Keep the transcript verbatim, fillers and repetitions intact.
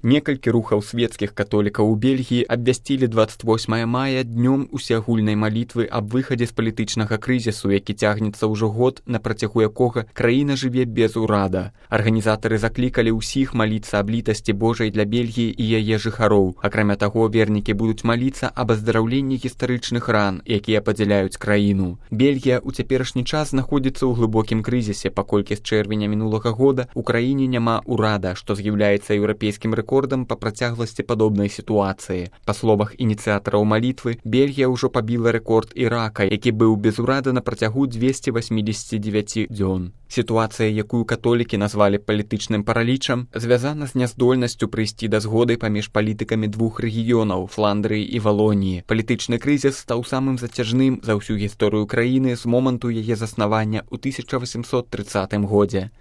Некалькі рухаў свецкіх католікаў у Бельгіі абвясцілі дваццаць восьмага мая днём усеагульнай малітвы аб выхадзе з палітычнага крызісу, які цягнецца ўжо год, на працягу якога краіна жыве без урада. Арганізатары заклікалі ўсіх маліцца аб літасці Божай для Бельгіі і яе жыхароў. Акрамя таго, вернікі будуць маліцца аб аздараўленні гістарычных ран, якія падзяляюць краіну. Бельгія ў цяперашні час знаходзіцца ў глыбокім крызісе, паколькі з чэрвеня мінулага года ў краіне няма урада, што з'яўляецца еўрапейскім рэкордам па працягласці падобнай сітуацыі. Па словах ініцыятараў малітвы, Бельгія ўжо пабіла рэкорд Ірака, які быў без урада на працягу дзвесце васьмідзесят дзевяць дзён. Сітуацыя, якую католікі назвалі палітычным паралічам, звязана з няздольнасцю прыйсці да згоды паміж палітыкамі двух рэгіёнаў – Фландрыі і Валоніі. Палітычны крызіс стаў самым зацяжным за ўсю гісторыю краіны з моманту яе заснавання ў тысяча васемсот трыццатым годзе.